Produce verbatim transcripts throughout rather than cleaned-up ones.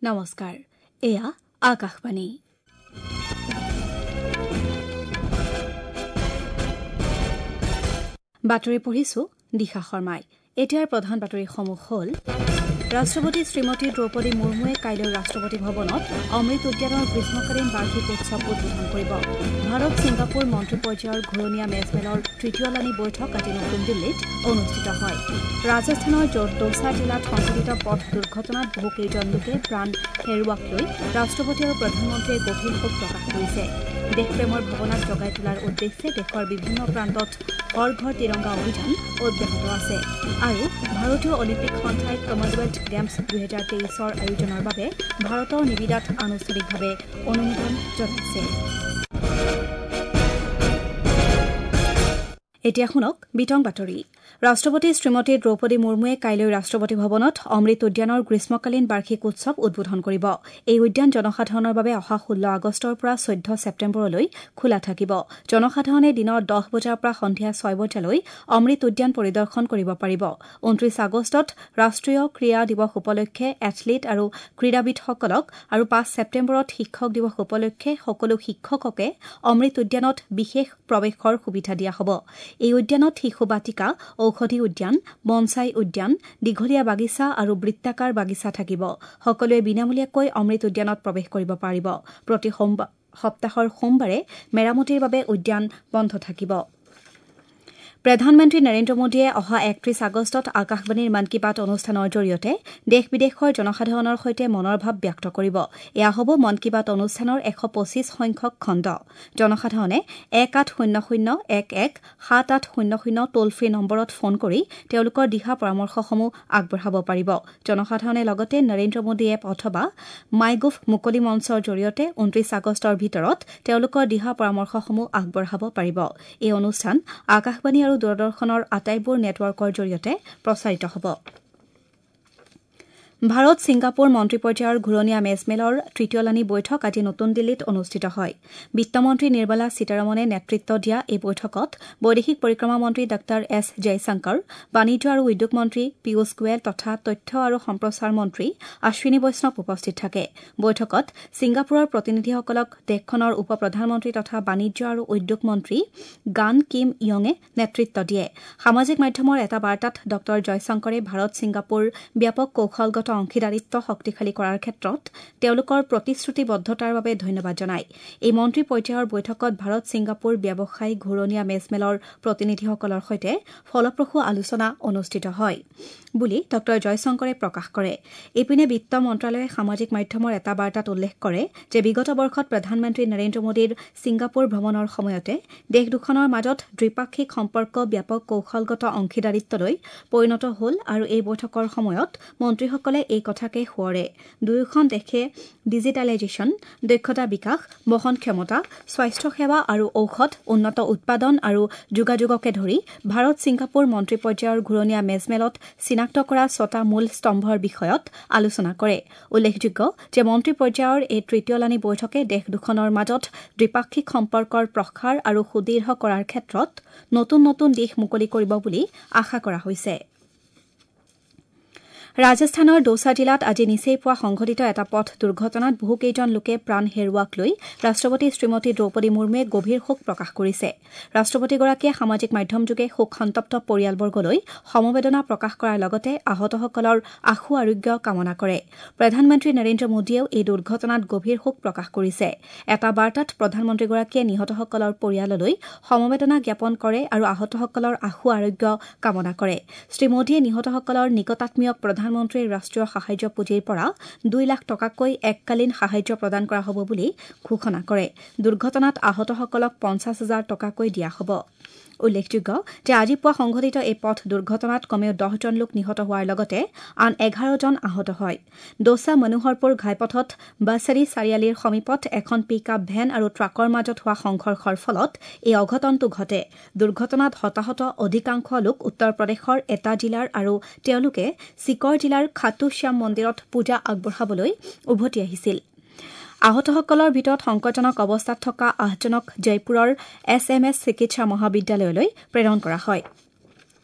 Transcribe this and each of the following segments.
নমস্কাৰ, এয়া আকাশবাণী। বাতৰি পঢ়িছো দিশা শৰ্মাই। এতিয়াৰ প্ৰধান বাতৰিসমূহ হ'ল: ৰাষ্ট্ৰপতি শ্ৰীমতী দ্ৰৌপদী মুৰ্মুৱে কাইলৈ ৰাষ্ট্ৰপতি ভৱনত অমৃত উদ্যানৰ গ্ৰীষ্মকালীন বাৰ্ষিক উৎসৱ উদ্বোধন কৰিব। ভাৰত ছিংগাপুৰ মন্ত্ৰী পৰ্যায়ৰ ঘূৰণীয়া মেজমেলৰ তৃতীয়লানি বৈঠক আজি নতুন দিল্লীত অনুষ্ঠিত হয়। ৰাজস্থানৰ দৌছা জিলাত সংঘটিত পথ দুৰ্ঘটনাত বহুকেইজন লোকে প্ৰাণ হেৰুওৱাক লৈ ৰাষ্ট্ৰপতি আৰু প্ৰধানমন্ত্ৰীয়ে গভীৰ শোক প্ৰকাশ কৰিছে। দেশপ্ৰেমৰ ভাৱনাক জগাই তোলাৰ উদ্দেশ্যে দেশৰ বিভিন্ন প্ৰান্তত হৰ ঘৰ তিৰংগা অভিযান অব্যাহত আছে। আৰু ভাৰতীয় অলিম্পিক সন্থাই কমনৱেলথ গেমছ দুহেজাৰ তেইছৰ আয়োজনৰ বাবে ভাৰতৰ নিবিদাত আনুষ্ঠানিকভাৱে অনুমোদন জনাইছে। এতিয়া শুনক বিতং বাতৰি। ৰাষ্ট্ৰপতি শ্ৰীমতী দ্ৰৌপদী মুৰ্মুৱে কাইলৈ ৰাষ্ট্ৰপতি ভৱনত অমৃত উদ্যানৰ গ্ৰীষ্মকালীন বাৰ্ষিক উৎসৱ উদ্বোধন কৰিব। এই উদ্যান জনসাধাৰণৰ বাবে অহা ষোল্ল আগষ্টৰ পৰা চৈধ্য ছেপ্টেম্বৰলৈ খোলা থাকিব। জনসাধাৰণে দিনৰ দহ বজাৰ পৰা সন্ধিয়া ছয় বজালৈ অমৃত উদ্যান পৰিদৰ্শন কৰিব পাৰিব। ঊনত্ৰিশ আগষ্টত ৰাষ্ট্ৰীয় ক্ৰীড়া দিৱস উপলক্ষে এথলীট আৰু ক্ৰীড়াবিদসকলক আৰু পাঁচ ছেপ্টেম্বৰত শিক্ষক দিৱস উপলক্ষে সকলো শিক্ষককে অমৃত উদ্যানত বিশেষ প্ৰৱেশৰ সুবিধা দিয়া হ'ব। এই উদ্যানত শিশু বাটিকা, ঔষধি উদ্যান, বনচাই উদ্যান, দীঘলীয়া বাগিচা আৰু বৃত্তাকাৰ বাগিচা থাকিব। সকলোৱে বিনামূলীয়াকৈ অমৃত উদ্যানত প্ৰৱেশ কৰিব পাৰিব। প্ৰতি সপ্তাহৰ সোমবাৰে মেৰামতিৰ বাবে উদ্যান বন্ধ থাকিব। প্ৰধানমন্ত্ৰী নৰেন্দ্ৰ মোদীয়ে অহা একত্ৰিশ আগষ্টত আকাশবাণীৰ মন কী বাত অনুষ্ঠানৰ জৰিয়তে দেশ বিদেশৰ জনসাধাৰণৰ সৈতে মনৰ ভাৱ ব্যক্ত কৰিব। এয়া হ'ব মন কী বাত অনুষ্ঠানৰ এশ পঁচিছ সংখ্যক খণ্ড। জনসাধাৰণে এক আঠ শূন্য শূন্য এক এক সাত আঠ শূন্য শূন্য টোল ফ্ৰী নম্বৰত ফোন কৰি তেওঁলোকৰ দিহা পৰামৰ্শসমূহ আগবঢ়াব পাৰিব। জনসাধাৰণে লগতে নৰেন্দ্ৰ মোদী এপ অথবা মাইগোভ মুকলি মঞ্চৰ জৰিয়তে ঊনত্ৰিশ আগষ্টৰ ভিতৰত তেওঁলোকৰ দিহা পৰামৰ্শসমূহ আগবঢ়াব পাৰিব। এই অনুষ্ঠান আকাশবাণী আৰু দূৰদৰ্শনৰ আটাইবোৰ নেটৱৰ্কৰ জৰিয়তে প্ৰচাৰিত হ'ব। ভাৰত ছিংগাপুৰ মন্ত্ৰী পৰ্যায়ৰ ঘূৰণীয়া মেজমেলৰ তৃতীয়লানি বৈঠক আজি নতুন দিল্লীত অনুষ্ঠিত হয়। বিত্তমন্ত্ৰী নিৰ্মলা সীতাৰমণে নেতৃত্ব দিয়া এই বৈঠকত বৈদেশিক পৰিক্ৰমা মন্ত্ৰী ডাঃ এছ জয়শংকৰ, বাণিজ্য আৰু উদ্যোগ মন্ত্ৰী পীয়ুষ গোৱেল তথা তথ্য আৰু সম্প্ৰচাৰ মন্ত্ৰী অশ্বিনী বৈষ্ণৱ উপস্থিত থাকে। বৈঠকত ছিংগাপুৰৰ প্ৰতিনিধিসকলক দেশখনৰ উপ প্ৰধানমন্ত্ৰী তথা বাণিজ্য আৰু উদ্যোগ মন্ত্ৰী গান কিম য়ঙে নেতৃত্ব দিয়ে। সামাজিক মাধ্যমৰ এটা বাৰ্তাত ডাঃ জয়শংকৰে ভাৰত ছিংগাপুৰ ব্যাপক কৌশলগত অংশীদাৰিত্ব শক্তিশালী কৰাৰ ক্ষেত্ৰত তেওঁলোকৰ প্ৰতিশ্ৰুতিবদ্ধতাৰ বাবে ধন্যবাদ জনায়। এই মন্ত্ৰী পৰ্যায়ৰ বৈঠকত ভাৰত ছিংগাপুৰ ব্যৱসায় ঘূৰণীয়া মেজমেলৰ প্ৰতিনিধিসকলৰ সৈতে ফলপ্ৰসূ আলোচনা অনুষ্ঠিত হয় বুলি ডাঃ জয়শংকৰে প্ৰকাশ কৰে। ইপিনে বিত্ত মন্ত্ৰালয়ে সামাজিক মাধ্যমৰ এটা বাৰ্তাত উল্লেখ কৰে যে বিগত বৰ্ষত প্ৰধানমন্ত্ৰী নৰেন্দ্ৰ মোদীৰ ছিংগাপুৰ ভ্ৰমণৰ সময়তে দেশ দুখনৰ মাজত দ্বিপাক্ষিক সম্পৰ্ক ব্যাপক কৌশলগত অংশীদাৰিত্বলৈ পৰিণত হ'ল আৰু এই বৈঠকৰ সময়ত মন্ত্ৰীসকলে এই কথাকে সোঁৱৰে। দুয়োখন দেশে ডিজিটেলাইজেশ্যন, দক্ষতা বিকাশ, বহন ক্ষমতা, স্বাস্থ্যসেৱা আৰু ঔষধ, উন্নত উৎপাদন আৰু যোগাযোগকে ধৰি ভাৰত ছিংগাপুৰ মন্ত্ৰী পৰ্যায়ৰ ঘূৰণীয়া মেজমেলত চিনাক্ত কৰা ছটা মূল স্তম্ভৰ বিষয়ত আলোচনা কৰে। উল্লেখযোগ্য যে মন্ত্ৰী পৰ্যায়ৰ এই তৃতীয়লানি বৈঠকে দেশ দুখনৰ মাজত দ্বিপাক্ষিক সম্পৰ্কৰ প্ৰসাৰ আৰু সুদৃঢ় কৰাৰ ক্ষেত্ৰত নতুন নতুন দিশ মুকলি কৰিব বুলি আশা কৰা হৈছে। ৰাজস্থানৰ দৌছা জিলাত আজি নিচেই পুৱা সংঘটিত এটা পথ দুৰ্ঘটনাত বহুকেইজন লোকে প্ৰাণ হেৰুওৱাক লৈ ৰাষ্ট্ৰপতি শ্ৰীমতী দ্ৰৌপদী মুৰ্মুৱে গভীৰ শোক প্ৰকাশ কৰিছে। ৰাষ্ট্ৰপতিগৰাকীয়ে সামাজিক মাধ্যমযোগে শোকসন্তপ্ত পৰিয়ালবৰ্গলৈ সমবেদনা প্ৰকাশ কৰাৰ লগতে আহতসকলৰ আশু আৰোগ্য কামনা কৰে। প্ৰধানমন্ত্ৰী নৰেন্দ্ৰ মোদীয়েও এই দুৰ্ঘটনাত গভীৰ শোক প্ৰকাশ কৰিছে। এটা বাৰ্তাত প্ৰধানমন্ত্ৰীগৰাকীয়ে নিহতসকলৰ পৰিয়াললৈ সমবেদনা জ্ঞাপন কৰে আৰু আহতসকলৰ আশু আৰোগ্য কামনা কৰে। শ্ৰীমোদীয়ে নিহতসকলৰ নিকটাত্মীয়ক প্ৰধানমন্ত্ৰীৰ ৰাষ্ট্ৰীয় সাহায্য পুঁজিৰ পৰা দুই লাখ টকাকৈ এককালীন সাহায্য প্ৰদান কৰা হ'ব বুলি ঘোষণা কৰে। দুৰ্ঘটনাত আহতসকলক পঞ্চাছ হাজাৰ টকাকৈ দিয়া হ'ব। উল্লেখযোগ্য যে আজি পুৱা সংঘটিত এই পথ দুৰ্ঘটনাত কমেও দহজন লোক নিহত হোৱাৰ লগতে আন এঘাৰজন আহত হয়। দৌছা মনোহৰপুৰ ঘাইপথত বাছাৰী চাৰিআলিৰ সমীপত এখন পিক আপ ভেন আৰু ট্ৰাকৰ মাজত হোৱা সংঘৰ্ষৰ ফলত এই অঘটনটো ঘটে। দুৰ্ঘটনাত হতাহত অধিকাংশ লোক উত্তৰ প্ৰদেশৰ এটা জিলাৰ আৰু তেওঁলোকে চিকৰ জিলাৰ খাটু শ্যাম মন্দিৰত পূজা আগবঢ়াবলৈ উভতি আহিছিল। আহতসকলৰ ভিতৰত সংকটজনক অৱস্থাত থকা আঠজনক জয়পুৰৰ এছ এম এছ চিকিৎসা মহাবিদ্যালয়লৈ প্ৰেৰণ কৰা হয়।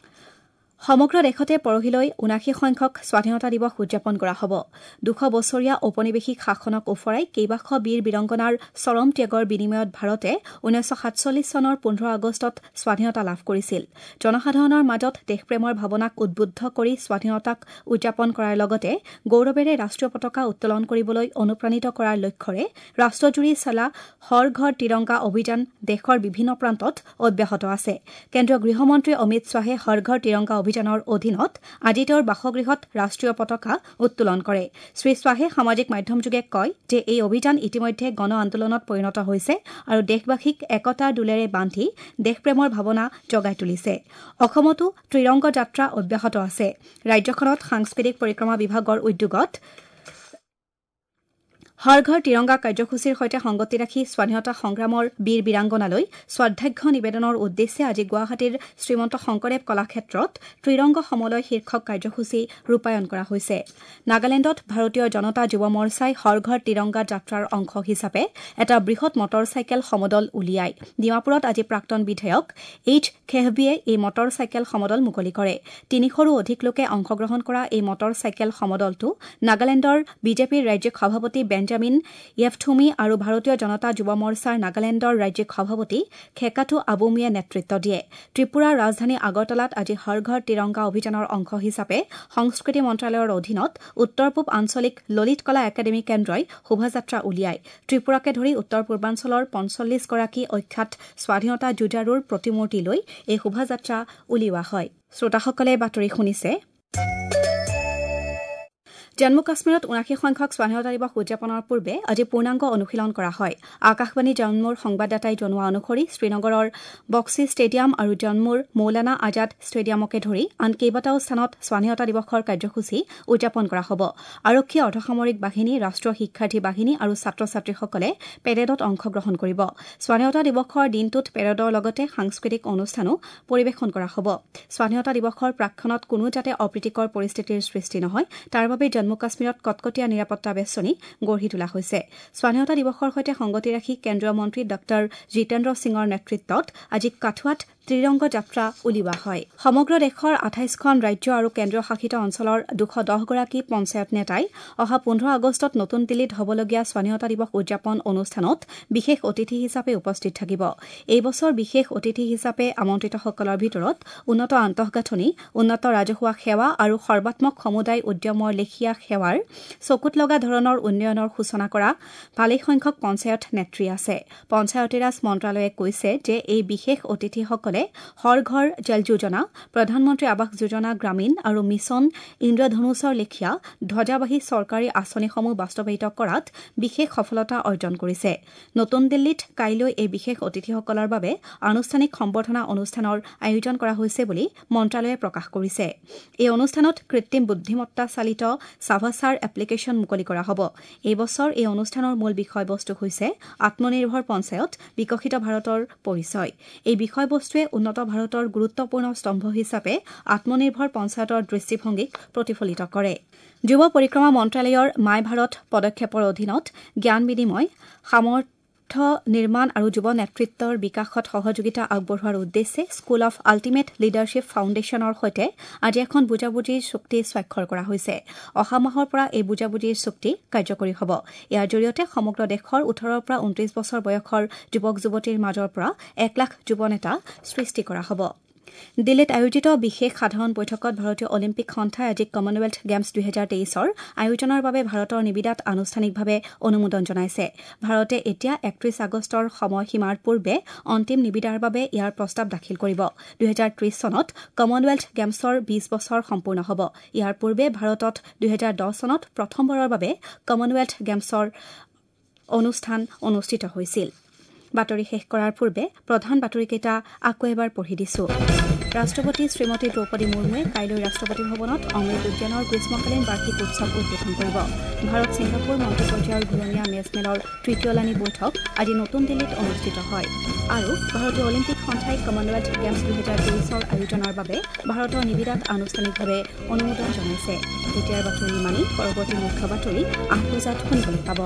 সমগ্ৰ দেশতে পৰহিলৈ ঊনাশী সংখ্যক স্বাধীনতা দিৱস উদযাপন কৰা হ'ব। দুশ বছৰীয়া ঔপনিৱেশিক শাসনক ওফৰাই কেইবাশ বীৰ বীৰাংগনাৰ চৰম ত্যাগৰ বিনিময়ত ভাৰতে ঊনৈছশ সাতচল্লিছ চনৰ পোন্ধৰ আগষ্টত স্বাধীনতা লাভ কৰিছিল। জনসাধাৰণৰ মাজত দেশপ্ৰেমৰ ভাৱনাক উদ্বুদ্ধ কৰি স্বাধীনতাক উদযাপন কৰাৰ লগতে গৌৰৱেৰে ৰাষ্ট্ৰীয় পতাকা উত্তোলন কৰিবলৈ অনুপ্ৰাণিত কৰাৰ লক্ষ্যৰে ৰাষ্ট্ৰজুৰি চলা হৰ ঘৰ তিৰংগা অভিযান দেশৰ বিভিন্ন প্ৰান্তত অব্যাহত আছে। কেন্দ্ৰীয় গৃহমন্ত্ৰী অমিত শ্বাহে হৰ ঘৰ তিৰংগা অভিযানৰ অধীনত আজি তেওঁৰ বাসগৃহত ৰাষ্ট্ৰীয় পতাকা উত্তোলন কৰে। শ্ৰী শ্বাহে সামাজিক মাধ্যমযোগে কয় যে এই অভিযান ইতিমধ্যে গণ আন্দোলনত পৰিণত হৈছে আৰু দেশবাসীক একতাৰ ডোলেৰে বান্ধি দেশপ্ৰেমৰ ভাৱনা জগাই তুলিছে। অসমতো ত্ৰিৰংগ যাত্ৰা অব্যাহত আছে। ৰাজ্যখনত সাংস্কৃতিক পৰিক্ৰমা বিভাগৰ উদ্যোগত হৰ ঘৰ তিৰংগা কাৰ্যসূচীৰ সৈতে সংগতি ৰাখি স্বাধীনতা সংগ্ৰামৰ বীৰ বীৰাংগনালৈ শ্ৰদ্ধাৰ্ঘ্য নিবেদনৰ উদ্দেশ্যে আজি গুৱাহাটীৰ শ্ৰীমন্ত শংকৰদেৱ কলাক্ষেত্ৰত ত্ৰিৰংগ সমলয় শীৰ্ষক কাৰ্যসূচী ৰূপায়ণ কৰা হৈছে। নাগালেণ্ডত ভাৰতীয় জনতা যুৱ মৰ্চাই হৰ ঘৰ তিৰংগা যাত্ৰাৰ অংশ হিচাপে এটা বৃহৎ মটৰ চাইকেল সমদল উলিয়ায়। ডিমাপুৰত আজি প্ৰাক্তন বিধায়ক এইচ খেহবিয়ে এই মটৰ চাইকেল সমদল মুকলি কৰে। তিনিশৰো অধিক লোকে অংশগ্ৰহণ কৰা এই মটৰ চাইকেল সমদলটো নাগালেণ্ডৰ বিজেপিৰ ৰাজ্যিক সভাপতি বেঞ্জামিন য়েফথুমি আৰু ভাৰতীয় জনতা যুৱ মৰ্চাৰ নাগালেণ্ডৰ ৰাজ্যিক সভাপতি খেকাটু আবুমিয়ে নেতৃত্ব দিয়ে। ত্ৰিপুৰাৰ ৰাজধানী আগৰতলাত আজি হৰ ঘৰ তিৰংগা অভিযানৰ অংশ হিচাপে সংস্কৃতি মন্ত্ৰালয়ৰ অধীনত উত্তৰ পূব আঞ্চলিক ললিত কলা একাডেমী কেন্দ্ৰই শোভাযাত্ৰা উলিয়ায়। ত্ৰিপুৰাকে ধৰি উত্তৰ পূৰ্বাঞ্চলৰ পঞ্চল্লিছগৰাকী অখ্যাত স্বাধীনতা যুঁজাৰুৰ প্ৰতিমূৰ্তি লৈ এই শোভাযাত্ৰা উলিওৱা হয়। শ্ৰোতাসকলে বাতৰি শুনিছে। জম্মু কাশ্মীৰত ঊনাশী সংখ্যক স্বাধীনতা দিৱস উদযাপনৰ পূৰ্বে আজি পূৰ্ণাংগ অনুশীলন কৰা হয়। আকাশবাণী জম্মুৰ সংবাদদাতাই জনোৱা অনুসৰি শ্ৰীনগৰৰ বক্সি ষ্টেডিয়াম আৰু জম্মুৰ মৌলানা আজাদ ষ্টেডিয়ামকে ধৰি আন কেইবাটাও স্থানত স্বাধীনতা দিৱসৰ কাৰ্যসূচী উদযাপন কৰা হ'ব। আৰক্ষী, অৰ্ধসামৰিক বাহিনী, ৰাষ্ট্ৰীয় শিক্ষাৰ্থী বাহিনী আৰু ছাত্ৰ ছাত্ৰীসকলে পেৰেডত অংশগ্ৰহণ কৰিব। স্বাধীনতা দিৱসৰ দিনটোত পেৰেডৰ লগতে সাংস্কৃতিক অনুষ্ঠানো পৰিৱেশন কৰা হ'ব। স্বাধীনতা দিৱসৰ প্ৰাকক্ষণত কোনো যাতে অপ্ৰীতিকৰ পৰিস্থিতিৰ সৃষ্টি নহয় তাৰ বাবে জম্মু কাশ্মীৰত কটকটীয়া নিৰাপত্তা বেষ্টনী গঢ়ি তোলা হৈছে। স্বাধীনতা দিৱসৰ সৈতে সংগতি ৰাখি কেন্দ্ৰীয় মন্ত্ৰী ডাঃ জিতেন্দ্ৰ সিঙৰ নেতৃত্বত আজি কাঠুৱাত ত্ৰিৰংগ যাত্ৰা উলিওৱা হয়। সমগ্ৰ দেশৰ আঠাইছখন ৰাজ্য আৰু কেন্দ্ৰীয় শাসিত অঞ্চলৰ দুশ দহগৰাকী পঞ্চায়ত নেতাই অহা পোন্ধৰ আগষ্টত নতুন দিল্লীত হ'বলগীয়া স্বাধীনতা দিৱস উদযাপন অনুষ্ঠানত বিশেষ অতিথি হিচাপে উপস্থিত থাকিব। এই বছৰ বিশেষ অতিথি হিচাপে আমন্ত্ৰিতসকলৰ ভিতৰত উন্নত আন্তঃগাঁথনি, উন্নত ৰাজহুৱা সেৱা আৰু সৰ্বাত্মক সমুদায় উদ্যমৰ লেখীয়া সেৱাৰ চকুত লগা ধৰণৰ উন্নয়নৰ সূচনা কৰা ভালেসংখ্যক পঞ্চায়ত নেত্ৰী আছে। পঞ্চায়তীৰাজ মন্ত্ৰালয়ে কৈছে যে এই বিশেষ অতিথিসকলে হৰ ঘৰ জল যোজনা, প্ৰধানমন্ত্ৰী আৱাস যোজনা গ্ৰামীণ আৰু মিছন ইন্দ্ৰধনুষৰ লেখীয়া ধ্বজাবাহী চৰকাৰী আঁচনিসমূহ বাস্তৱায়িত কৰাত বিশেষ সফলতা অৰ্জন কৰিছে। নতুন দিল্লীত কাইলৈ এই বিশেষ অতিথিসকলৰ বাবে আনুষ্ঠানিক সম্বৰ্ধনা অনুষ্ঠানৰ আয়োজন কৰা হৈছে বুলি মন্ত্ৰালয়ে প্ৰকাশ কৰিছে। এই অনুষ্ঠানত কৃত্ৰিম বুদ্ধিমত্তা চালিত ছাভাছাৰ এপ্লিকেশ্যন মুকলি কৰা হ'ব। এই বছৰ এই অনুষ্ঠানৰ মূল বিষয়বস্তু হৈছে আত্মনিৰ্ভৰ পঞ্চায়ত, বিকশিত ভাৰতৰ পৰিচয়। এই বিষয়বস্তুৱে উন্নত ভাৰতৰ গুৰুত্বপূৰ্ণ স্তম্ভ হিচাপে আত্মনিৰ্ভৰ পঞ্চায়তৰ দৃষ্টিভংগীক প্ৰতিফলিত কৰে। যুৱ পৰিক্ৰমা মন্ত্ৰালয়ৰ মাই ভাৰত পদক্ষেপৰ অধীনত জ্ঞান বিনিময়, সামৰ্থ্য নিৰ্মাণ আৰু যুৱ নেতৃত্বৰ বিকাশত সহযোগিতা আগবঢ়োৱাৰ উদ্দেশ্যে স্কুল অফ আল্টিমেট লিডাৰশ্বিপ ফাউণ্ডেশ্যনৰ সৈতে আজি এখন বুজাবুজিৰ চুক্তি স্বাক্ষৰ কৰা হৈছে। অহা মাহৰ পৰা এই বুজাবুজিৰ চুক্তি কাৰ্যকৰী হ'ব। ইয়াৰ জৰিয়তে সমগ্ৰ দেশৰ ওঠৰৰ পৰা ঊনত্ৰিশ বছৰ বয়সৰ যুৱক যুৱতীৰ মাজৰ পৰা এক লাখ যুৱ নেতা সৃষ্টি কৰা হ'ব। দিল্লীত আয়োজিত বিশেষ সাধাৰণ বৈঠকত ভাৰতীয় অলিম্পিক সন্থাই আজি কমনৱেলথ গেমছ দুহেজাৰ তেইছৰ আয়োজনৰ বাবে ভাৰতৰ নিবিদাত আনুষ্ঠানিকভাৱে অনুমোদন জনাইছে। ভাৰতে এতিয়া একত্ৰিশ আগষ্টৰ সময়সীমাৰ পূৰ্বে অন্তিম নিবিদাৰ বাবে ইয়াৰ প্ৰস্তাৱ দাখিল কৰিব। দুহেজাৰ ত্ৰিশ চনত কমনৱেলথ গেমছৰ বিশ বছৰ সম্পূৰ্ণ হ'ব। ইয়াৰ পূৰ্বে ভাৰতত দুহেজাৰ দহ চনত প্ৰথমবাৰৰ বাবে কমনৱেলথ গেমছৰ অনুষ্ঠান অনুষ্ঠিত হৈছিল। বাতৰি শেষ কৰাৰ পূৰ্বে প্ৰধান বাতৰিকেইটা আকৌ এবাৰ পঢ়ি দিছো। ৰাষ্ট্ৰপতি শ্ৰীমতী দ্ৰৌপদী মুৰ্মুৱে কাইলৈ ৰাষ্ট্ৰপতি ভৱনত অমৃত উদ্যানৰ গ্ৰীষ্মকালীন বাৰ্ষিক উৎসৱ উদ্বোধন কৰিব। ভাৰত ছিংগাপুৰ মন্ত্ৰী পৰ্যায়ৰ ঘূৰণীয়া মেজমেলৰ তৃতীয়লানি বৈঠক আজি নতুন দিল্লীত অনুষ্ঠিত হয়। আৰু ভাৰতীয় অলিম্পিক সন্থাই কমনৱেলথ গেমছ দুহেজাৰ তেইছৰ আয়োজনৰ বাবে ভাৰতৰ নিবিদাত আনুষ্ঠানিকভাৱে অনুমোদন জনাইছে। এতিয়াৰ বাতৰি ইমানেই। পৰৱৰ্তী মুখ্য বাতৰি আঠ বজাত শুনিবলৈ পাব।